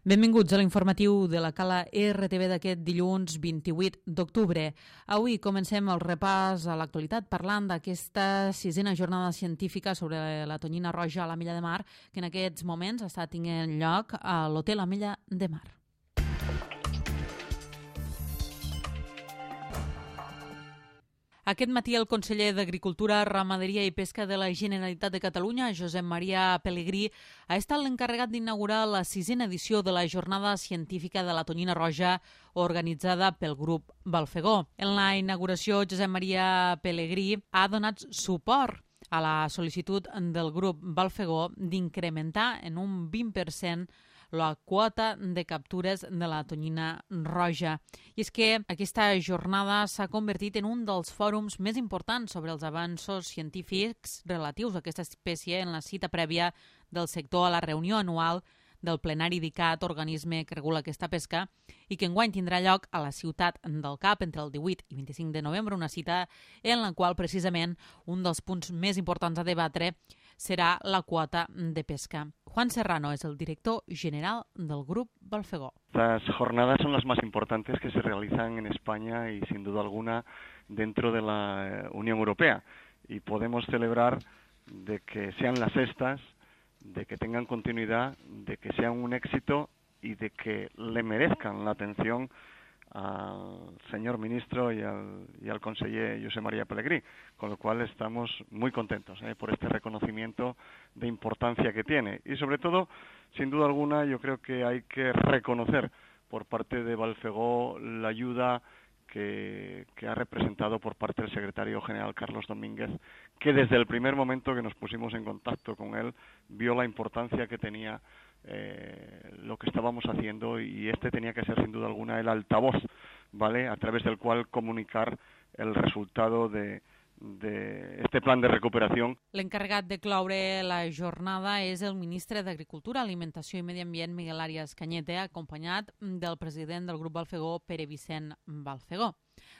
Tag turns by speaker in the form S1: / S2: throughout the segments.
S1: Benvinguts a l'informatiu de la Cala RTV d'aquest dilluns 28 d'octubre. Avui comencem el repàs a l'actualitat parlant d'aquesta sisena jornada científica sobre la tonyina roja a l'Ametlla de Mar, que en aquests moments està tenint lloc a l'Hotel Ametlla de Mar. Aquest matí el conseller d'Agricultura, Ramaderia i Pesca de la Generalitat de Catalunya, Josep Maria Pelegrí, ha estat l'encarregat d'inaugurar la sisena edició de la Jornada Científica de la Tonyina Roja organitzada pel grup Balfegó. En la inauguració, Josep Maria Pelegrí ha donat suport a la sol·licitud del grup Balfegó d'incrementar en un 20% la quota de captures de la tonyina roja. I és que aquesta jornada s'ha convertit en un dels fòrums més importants sobre els avanços científics relatius a aquesta espècie en la cita prèvia del sector a la reunió anual del plenari d'ICAT, organisme que regula aquesta pesca, i que enguany tindrà lloc a la ciutat del Cap entre el 18 i 25 de novembre, una cita en la qual precisament un dels punts més importants a debatre serà la quota de pesca. Juan Serrano es el director general del Grupo Balfegó.
S2: Las jornadas son las más importantes que se realizan en España y sin duda alguna dentro de la Unión Europea. Y podemos celebrar de que sean las sextas, de que tengan continuidad, de que sean un éxito y de que le merezcan la atención al señor ministro y al conseller José María Pelegrí, con lo cual estamos muy contentos por este reconocimiento de importancia que tiene. Y sobre todo, sin duda alguna, yo creo que hay que reconocer por parte de Balfegó la ayuda que ha representado por parte del secretario general Carlos Domínguez, que desde el primer momento que nos pusimos en contacto con él vio la importancia que tenía lo que estábamos haciendo, y este tenía que ser sin duda alguna el altavoz, ¿vale?, a través del cual comunicar el resultado de este plan de recuperació.
S1: L'encarregat de cloure la jornada és el ministre d'Agricultura, Alimentació i Medi Ambient, Miguel Arias Cañete, acompanyat del president del grup Balfegó, Pere Vicent Balfegó.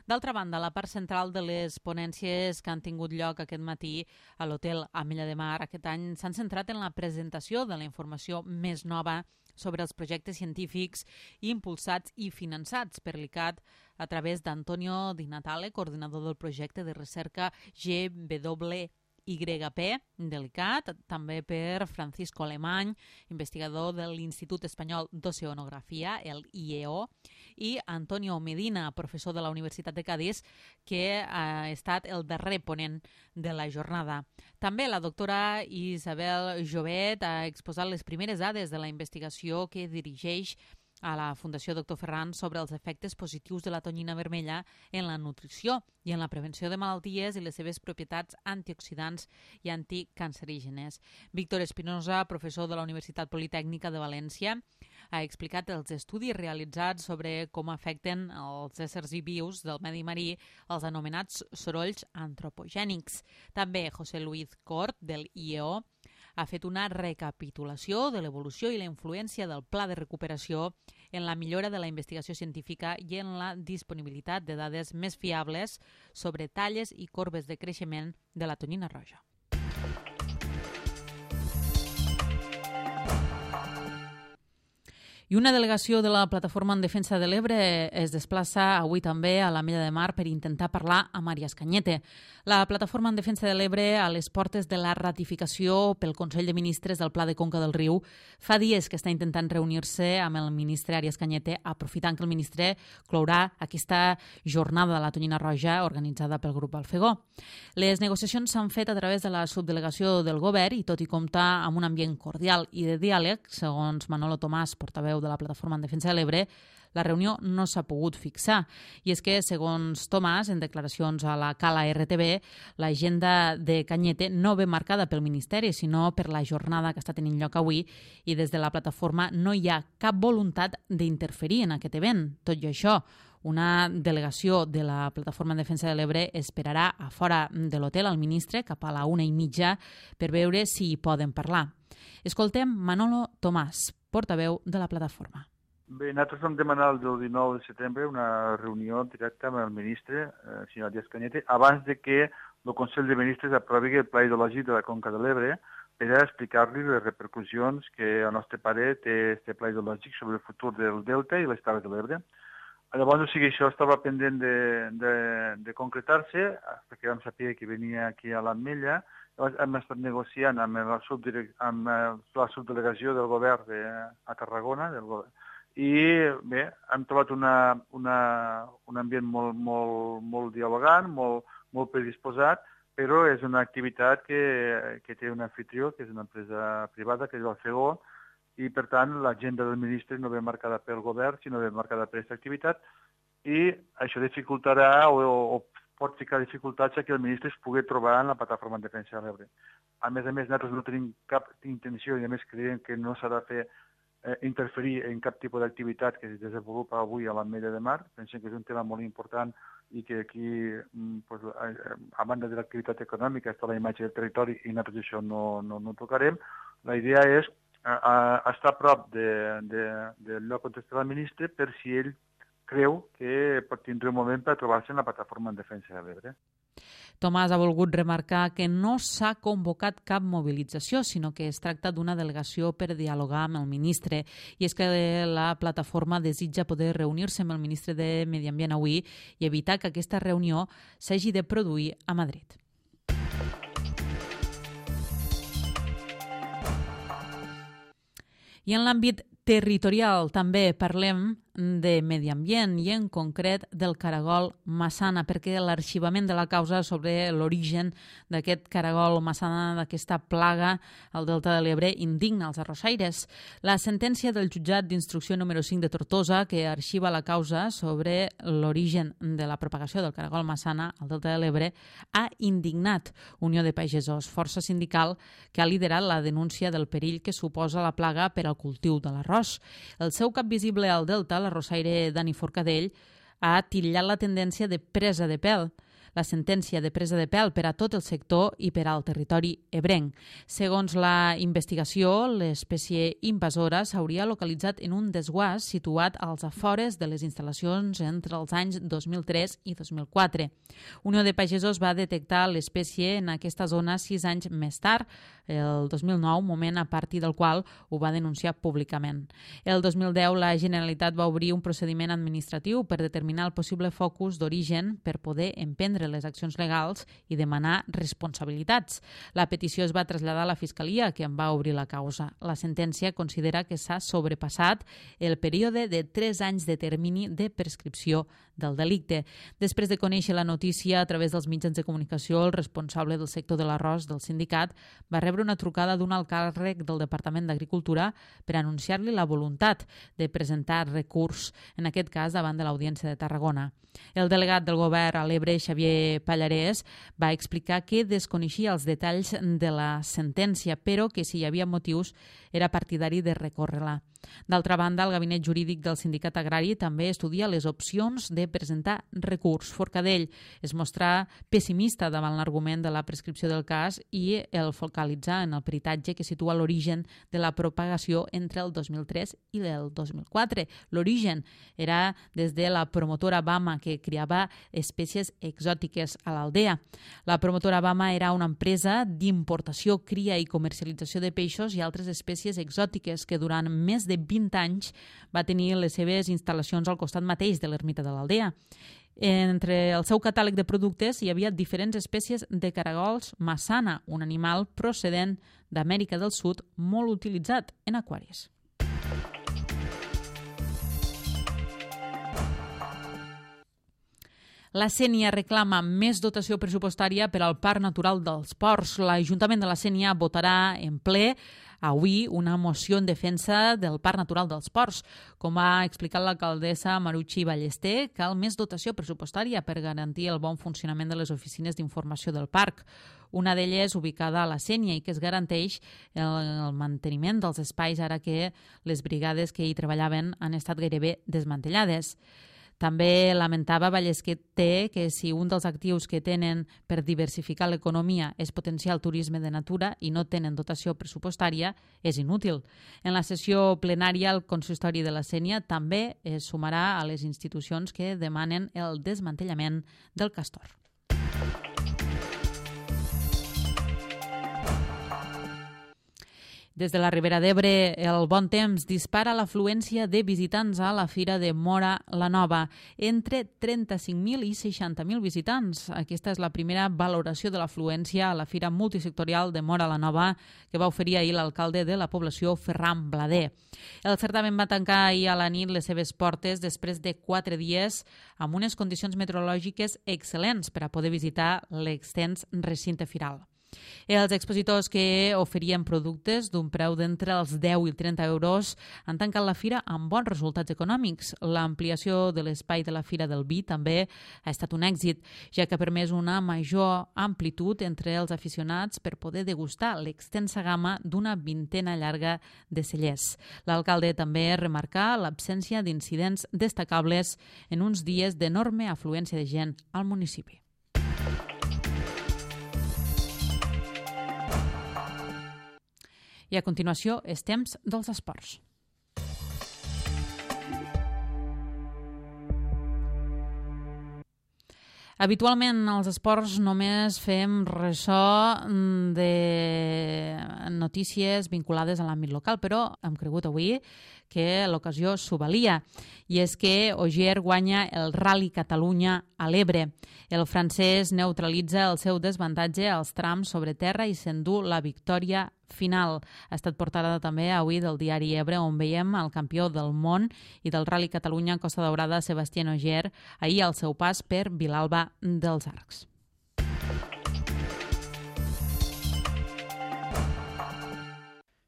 S1: D'altra banda, la part central de les ponències que han tingut lloc aquest matí a l'Hotel Ametlla de Mar aquest any s'han centrat en la presentació de la informació més nova sobre els projectes científics impulsats i finançats per l'ICAT a través d'Antonio Di Natale, coordinador del projecte de recerca GWYP de l'ICAT, també per Francisco Alemany, investigador de l'Institut Espanyol d'Oceanografia, el IEO, i Antonio Medina, professor de la Universitat de Cádiz, que ha estat el darrer ponent de la jornada. També la doctora Isabel Jovet ha exposat les primeres dades de la investigació que dirigeix a la Fundació Dr. Ferran sobre els efectes positius de la tonyina vermella en la nutrició i en la prevenció de malalties i les seves propietats antioxidants i anticancerígenes. Víctor Espinosa, professor de la Universitat Politècnica de València, ha explicat els estudis realitzats sobre com afecten els éssers vius del medi marí els anomenats sorolls antropogènics. També José Luis Cort, del IEO, ha fet una recapitulació de l'evolució i la influència del pla de recuperació en la millora de la investigació científica i en la disponibilitat de dades més fiables sobre talles i corbes de creixement de la tonyina roja. I una delegació de la Plataforma en Defensa de l'Ebre es desplaça avui també a l'Ametlla de Mar per intentar parlar amb Arias Cañete. La Plataforma en Defensa de l'Ebre, a les portes de la ratificació pel Consell de Ministres del Pla de Conca del Riu, fa dies que està intentant reunir-se amb el ministre Arias Cañete, aprofitant que el ministre clourà aquesta jornada de la tonyina roja organitzada pel grup Balfegó. Les negociacions s'han fet a través de la subdelegació del govern i tot i comptar amb un ambient cordial i de diàleg, segons Manolo Tomàs, portaveu de la Plataforma en Defensa de l'Ebre, la reunió no s'ha pogut fixar. I és que, segons Tomàs, en declaracions a la Cala RTV, l'agenda de Cañete no ve marcada pel Ministeri, sinó per la jornada que està tenint lloc avui, i des de la plataforma no hi ha cap voluntat d'interferir en aquest event. Tot i això, una delegació de la Plataforma en Defensa de l'Ebre esperarà a fora de l'hotel al ministre cap a la 1:30 per veure si hi poden parlar. Escoltem Manolo Tomàs, portaveu de la plataforma.
S3: Bé, nosaltres vam demanar el 19 de setembre una reunió directa amb el ministre, el senyor Arias Cañete, abans de que el Consell de Ministres aprovi el Pla Hidrològic de la Conca de l'Ebre, per a explicar-li les repercussions que al nostre parer té aquest pla hidrològic sobre el futur del Delta i les Terres de l'Ebre. Llavors, o sigui, això estava pendent de concretar-se, perquè vam saber que venia aquí a l'Ametlla. Llavors hem estat negociant amb la subdelegació del govern a Tarragona, i bé, hem trobat un ambient molt dialogant, molt predisposat, però és una activitat que té un anfitrió, que és una empresa privada, que és el FEGO, i per tant l'agenda del ministre no ve marcada pel govern, sinó ve marcada per aquesta activitat, i això dificultarà o pot ficar dificultats que el ministre es pugui trobar en la plataforma en defensa de l'Ebre. A més, nosaltres no tenim cap intenció, i a més creiem que no s'ha de fer interferir en cap tipus d'activitat que es desenvolupa avui a l'Ametlla de Mar. Pensem que és un tema molt important i que aquí, a banda de l'activitat econòmica, està la imatge del territori i nosaltres això no tocarem. La idea és estar a prop del lloc on està el ministre per si ell creu que pot tindre un moment per trobar-se en la plataforma en defensa de l'Ebre.
S1: Tomàs ha volgut remarcar que no s'ha convocat cap mobilització, sinó que es tracta d'una delegació per dialogar amb el ministre. I és que la plataforma desitja poder reunir-se amb el ministre de Medi Ambient avui i evitar que aquesta reunió s'hagi de produir a Madrid. I en l'àmbit territorial també parlem de medi ambient i en concret del caragol massana, perquè l'arxivament de la causa sobre l'origen d'aquest caragol massana, d'aquesta plaga al Delta de l'Ebre, indigna els arrossaires. La sentència del jutjat d'instrucció número 5 de Tortosa, que arxiva la causa sobre l'origen de la propagació del caragol massana al Delta de l'Ebre, ha indignat Unió de Pagesos, força sindical que ha liderat la denúncia del perill que suposa la plaga per al cultiu de l'arròs. El seu cap visible al Delta, l'arrossaire Dani Forcadell, ha titllat la tendència de presa de pèl. La sentència de presa de pèl per a tot el sector i per al territori ebrenc. Segons la investigació, l'espècie invasora s'hauria localitzat en un desguàs situat als afores de les instal·lacions entre els anys 2003 i 2004. Unió de Pagesos va detectar l'espècie en aquesta zona 6 anys més tard, el 2009, moment a partir del qual ho va denunciar públicament. El 2010, la Generalitat va obrir un procediment administratiu per determinar el possible focus d'origen per poder emprendre les accions legals i demanar responsabilitats. La petició es va traslladar a la Fiscalia, que en va obrir la causa. La sentència considera que s'ha sobrepassat el període de 3 anys de termini de prescripció del delicte. Després de conèixer la notícia a través dels mitjans de comunicació, el responsable del sector de l'arròs del sindicat va rebre una trucada d'un alt càrrec del Departament d'Agricultura per anunciar-li la voluntat de presentar recurs, en aquest cas davant de l'Audiència de Tarragona. El delegat del govern a l'Ebre, Xavier Pallarès, va explicar que desconeixia els detalls de la sentència, però que si hi havia motius era partidari de recórrer-la. D'altra banda, el gabinet jurídic del sindicat agrari també estudia les opcions de presentar recurs. Forcadell es mostra pessimista davant l'argument de la prescripció del cas i el focalitza en el peritatge que situa l'origen de la propagació entre el 2003 i el 2004. L'origen era des de la promotora Bama, que criava espècies exòtiques a l'aldea. La promotora Bama era una empresa d'importació, cria i comercialització de peixos i altres espècies exòtiques que durant més de 20 anys va tenir les seves instal·lacions al costat mateix de l'ermita de l'aldea. Entre el seu catàleg de productes hi havia diferents espècies de caragols massana, un animal procedent d'Amèrica del Sud molt utilitzat en aquaris. La Sénia reclama més dotació pressupostària per al Parc Natural dels Ports. L'Ajuntament de la Sénia votarà en ple avui una moció en defensa del Parc Natural dels Ports. Com ha explicat l'alcaldessa Marucci Ballester, cal més dotació pressupostària per garantir el bon funcionament de les oficines d'informació del parc. Una d'elles ubicada a la Sénia i que es garanteix el manteniment dels espais ara que les brigades que hi treballaven han estat gairebé desmantellades. També lamentava Ballester que si un dels actius que tenen per diversificar l'economia és potenciar el turisme de natura i no tenen dotació pressupostària, és inútil. En la sessió plenària, el consistori de la Sénia també es sumarà a les institucions que demanen el desmantellament del castor. Des de la Ribera d'Ebre, el bon temps dispara l'afluència de visitants a la Fira de Móra la Nova, entre 35.000 i 60.000 visitants. Aquesta és la primera valoració de l'afluència a la Fira Multisectorial de Móra la Nova que va oferir ahir l'alcalde de la població, Ferran Blader. El certamen va tancar ahir a la nit les seves portes després de 4 dies amb unes condicions meteorològiques excel·lents per a poder visitar l'extens recinte firal. Els expositors que oferien productes d'un preu d'entre els 10 i 30 euros han tancat la fira amb bons resultats econòmics. L'ampliació de l'espai de la Fira del Vi també ha estat un èxit, ja que ha permès una major amplitud entre els aficionats per poder degustar l'extensa gamma d'una vintena llarga de cellers. L'alcalde també remarcà l'absència d'incidents destacables en uns dies d'enorme afluència de gent al municipi. I a continuació és temps dels esports. Habitualment als esports només fem ressò de notícies vinculades a l'àmbit local, però hem cregut avui que l'ocasió s'ho valia. I és que Ogier guanya el Rally Catalunya a l'Ebre. El francès neutralitza el seu desavantatge als trams sobre terra i s'endú la victòria final. Ha estat portada també avui del diari Ebre, on veiem el campió del món i del Rally Catalunya Costa Daurada, Sebastián Ogier, ahir al seu pas per Vilalba dels Arcs.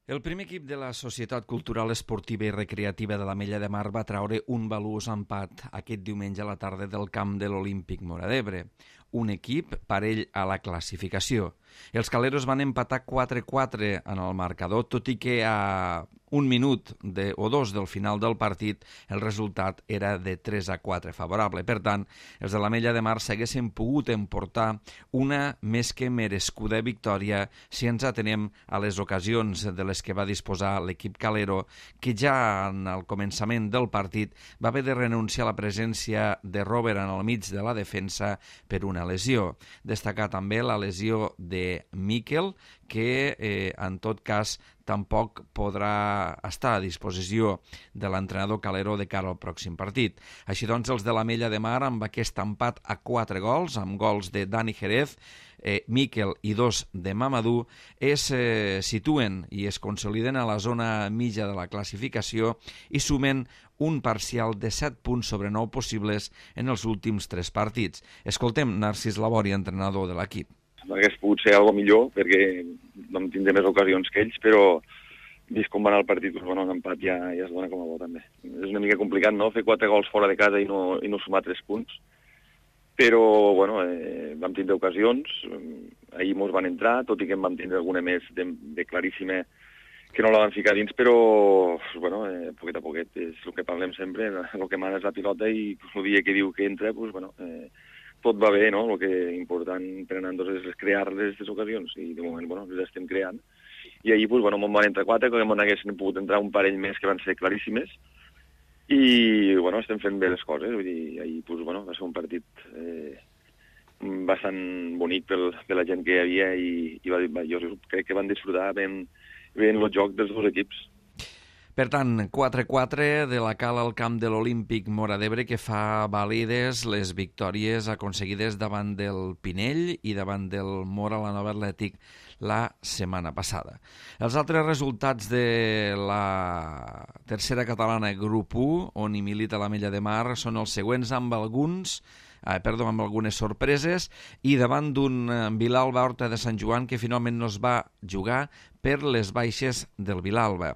S4: El primer equip de la Societat Cultural Esportiva i Recreativa de l'Ametlla de Mar va traure un valuós empat aquest diumenge a la tarda del camp de l'Olímpic Móra d'Ebre. Un equip parell a la classificació. Els caleros van empatar 4-4 en el marcador, tot i que a un minut o dos del final del partit el resultat era de 3-4 favorable. Per tant, els de l'Ametlla de Mar s'haguessin pogut emportar una més que merescuda victòria si ens atenem a les ocasions de les que va disposar l'equip calero, que ja en el començament del partit va haver de renunciar a la presència de Robert en el mig de la defensa per una lesió. Destacar també la lesió de Miquel, que en tot cas tampoc podrà estar a disposició de l'entrenador calero de cara al pròxim partit. Així doncs, els de l'Ametlla de Mar, amb aquest empat a 4 gols, amb gols de Dani Jerez, Miquel i 2 de Mamadou, es situen i es consoliden a la zona mitja de la classificació i sumen un parcial de 7 punts sobre 9 possibles en els últims 3 partits. Escoltem Narcís Labori, entrenador de l'equip.
S5: Hauria pogut ser alguna millor perquè vam tindre més ocasions que ells, però vist com va anar el partit, doncs, bueno, un empat ja es dona com a bo també. És una mica complicat, no?, fer 4 gols fora de casa i no sumar 3 punts, però bueno, vam tindre ocasions, ahir mos van entrar, tot i que en vam tindre alguna més de claríssima que no la van ficar dins, però bueno, poquet a poquet, és el que parlem sempre, el que mana és la pilota i el dia que diu que entra, doncs, bueno, tot va bé, no? El que és important per anar és crear les ocasions, i de moment, bueno, les estem creant. I ahir, bueno, me'n van entrar 4, que me'n haguessin pogut entrar un parell més que van ser claríssimes, i, bueno, estem fent bé les coses, vull dir, ahir, bueno, va ser un partit bastant bonic per la gent que hi havia, i jo crec que van disfrutar ben el joc dels dos equips.
S4: Per tant, 4-4 de la Cala al camp de l'Olímpic Móra d'Ebre, que fa vàlides les victòries aconseguides davant del Pinell i davant del Móra la Nova Atlètic la setmana passada. Els altres resultats de la tercera catalana grup 1, on hi milita l'Ametlla de Mar, són els següents amb algunes sorpreses, i davant d'un Vilalba Horta de Sant Joan que finalment no es va jugar per les baixes del Vilalba.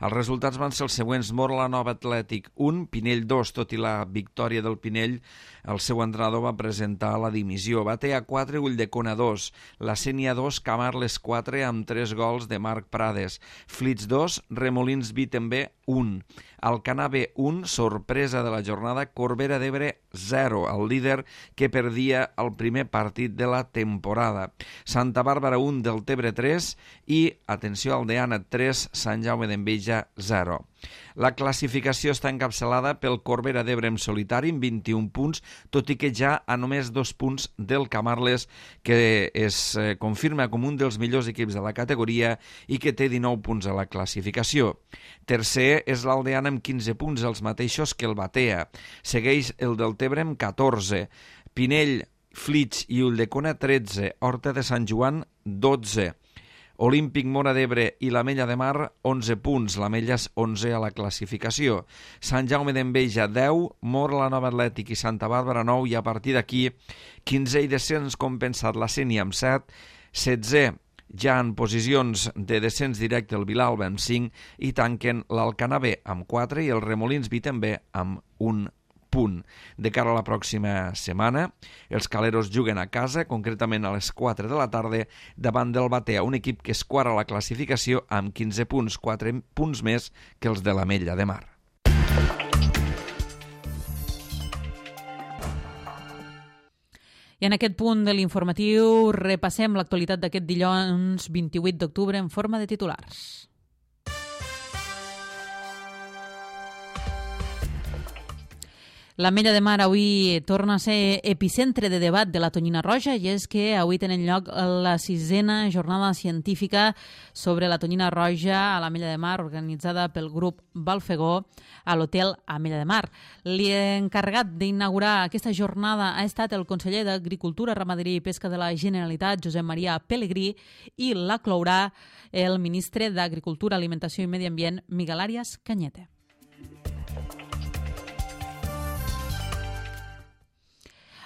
S4: Els resultats van ser els següents: Móra la Nova Atlètic 1, Pinell 2, tot i la victòria del Pinell, el seu entrenador va presentar la dimissió. Batea 4, Ulldecona 2, la Sénia 2, Camarles 4, amb 3 gols de Marc Prades, Flits 2, Remolins Vi també 1, Alcanar B 1, sorpresa de la jornada, Corbera d'Ebre 0, el líder que perdia el primer partit de la temporada, Santa Bàrbara 1, Deltebre 3 i atenció, Aldeana 3, Sant Jaume d'Enveja 0. La classificació està encapçalada pel Corbera d'Ebre en solitari amb 21 punts, tot i que ja a només 2 punts del Camarles, que es confirma com un dels millors equips de la categoria i que té 19 punts a la classificació. Tercer és l'Aldeana amb 15 punts, els mateixos que el Batea. Segueix el Deltebre amb 14. Pinell, Flix i Ulldecona 13. Horta de Sant Joan 12. Olímpic Móra d'Ebre i l'Ametlla de Mar, 11 punts, l'Ametlla és 11 a la classificació. Sant Jaume d'Enveja, 10, Móra, la Nova Atlètic i Santa Bàrbara, 9, i a partir d'aquí, 15 i descens compensat la Sénia amb 7, 16 ja en posicions de descens directe el Vilalba amb 5 i tanquen l'Alcanar B amb 4 i el Remolins B també amb 1 punt. De cara a la pròxima setmana, els caleros juguen a casa, concretament a les 4 de la tarda, davant del Batea, un equip que es quadra la classificació amb 15 punts, 4 punts més que els de l'Ametlla de Mar.
S1: I en aquest punt de l'informatiu repassem l'actualitat d'aquest dilluns 28 d'octubre en forma de titulars. L'Ametlla de Mar avui torna a ser epicentre de debat de la tonyina roja i és que avui tenen lloc la 6a jornada científica sobre la tonyina roja a l'Ametlla de Mar organitzada pel grup Balfegó a l'hotel Ametlla de Mar. L'encarregat d'inaugurar aquesta jornada ha estat el conseller d'Agricultura, Ramaderia i Pesca de la Generalitat, Josep Maria Pelegrí, i la clourà el ministre d'Agricultura, Alimentació i Medi Ambient, Miguel Arias Cañete.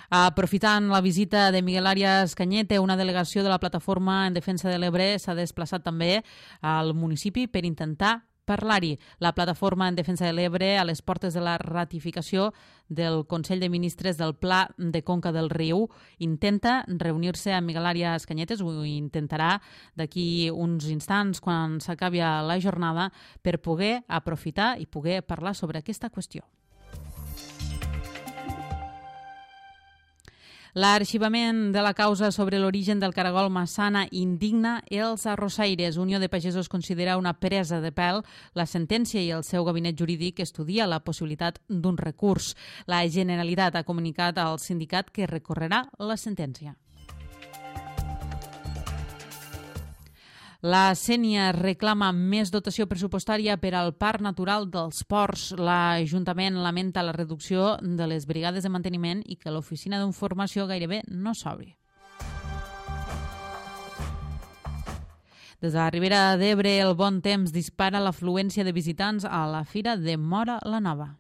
S1: Aprofitant la visita de Miguel Arias Cañete, una delegació de la Plataforma en Defensa de l'Ebre s'ha desplaçat també al municipi per intentar parlar-hi. La Plataforma en Defensa de l'Ebre, a les portes de la ratificació del Consell de Ministres del Pla de Conca del Riu, intenta reunir-se amb Miguel Arias Cañete, ho intentarà d'aquí uns instants quan s'acabi la jornada, per poder aprofitar i poder parlar sobre aquesta qüestió. L'arxivament de la causa sobre l'origen del caragol Massana indigna els arrossaires. Unió de Pagesos considera una presa de pèl la sentència i el seu gabinet jurídic estudia la possibilitat d'un recurs. La Generalitat ha comunicat al sindicat que recorrerà la sentència. La Sénia reclama més dotació pressupostària per al Parc Natural dels Ports. L'Ajuntament lamenta la reducció de les brigades de manteniment i que l'oficina d'informació gairebé no s'obri. Des de la Ribera d'Ebre, el bon temps dispara l'afluència de visitants a la Fira de Móra la Nova.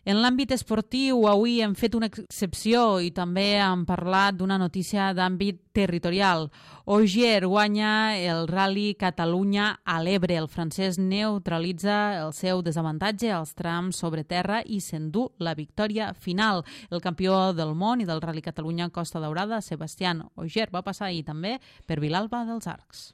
S1: En l'àmbit esportiu, avui hem fet una excepció i també hem parlat d'una notícia d'àmbit territorial. Ogier guanya el Rally Catalunya a l'Ebre. El francès neutralitza el seu desavantatge als trams sobre terra i s'endú la victòria final. El campió del món i del Rally Catalunya Costa Daurada, Sebastián Ogier, va passar ahir també per Vilalba dels Arcs.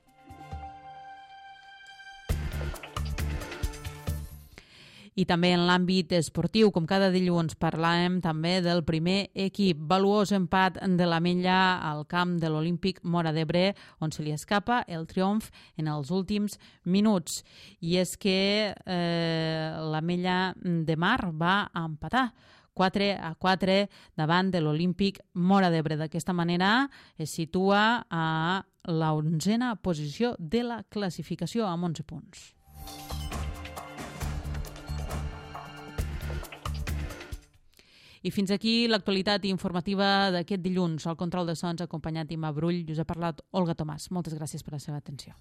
S1: I també en l'àmbit esportiu, com cada dilluns, parlàvem també del primer equip. Valuós empat de l'Ametlla al camp de l'Olímpic Móra d'Ebre, on se li escapa el triomf en els últims minuts. I és que l'Ametlla de Mar va empatar 4-4 davant de l'Olímpic Móra d'Ebre. D'aquesta manera es situa a la 11a posició de la classificació amb 11 punts. I fins aquí l'actualitat informativa d'aquest dilluns. Al control de sons, acompanyat d'Imma Brull, us ha parlat Olga Tomàs. Moltes gràcies per la seva atenció.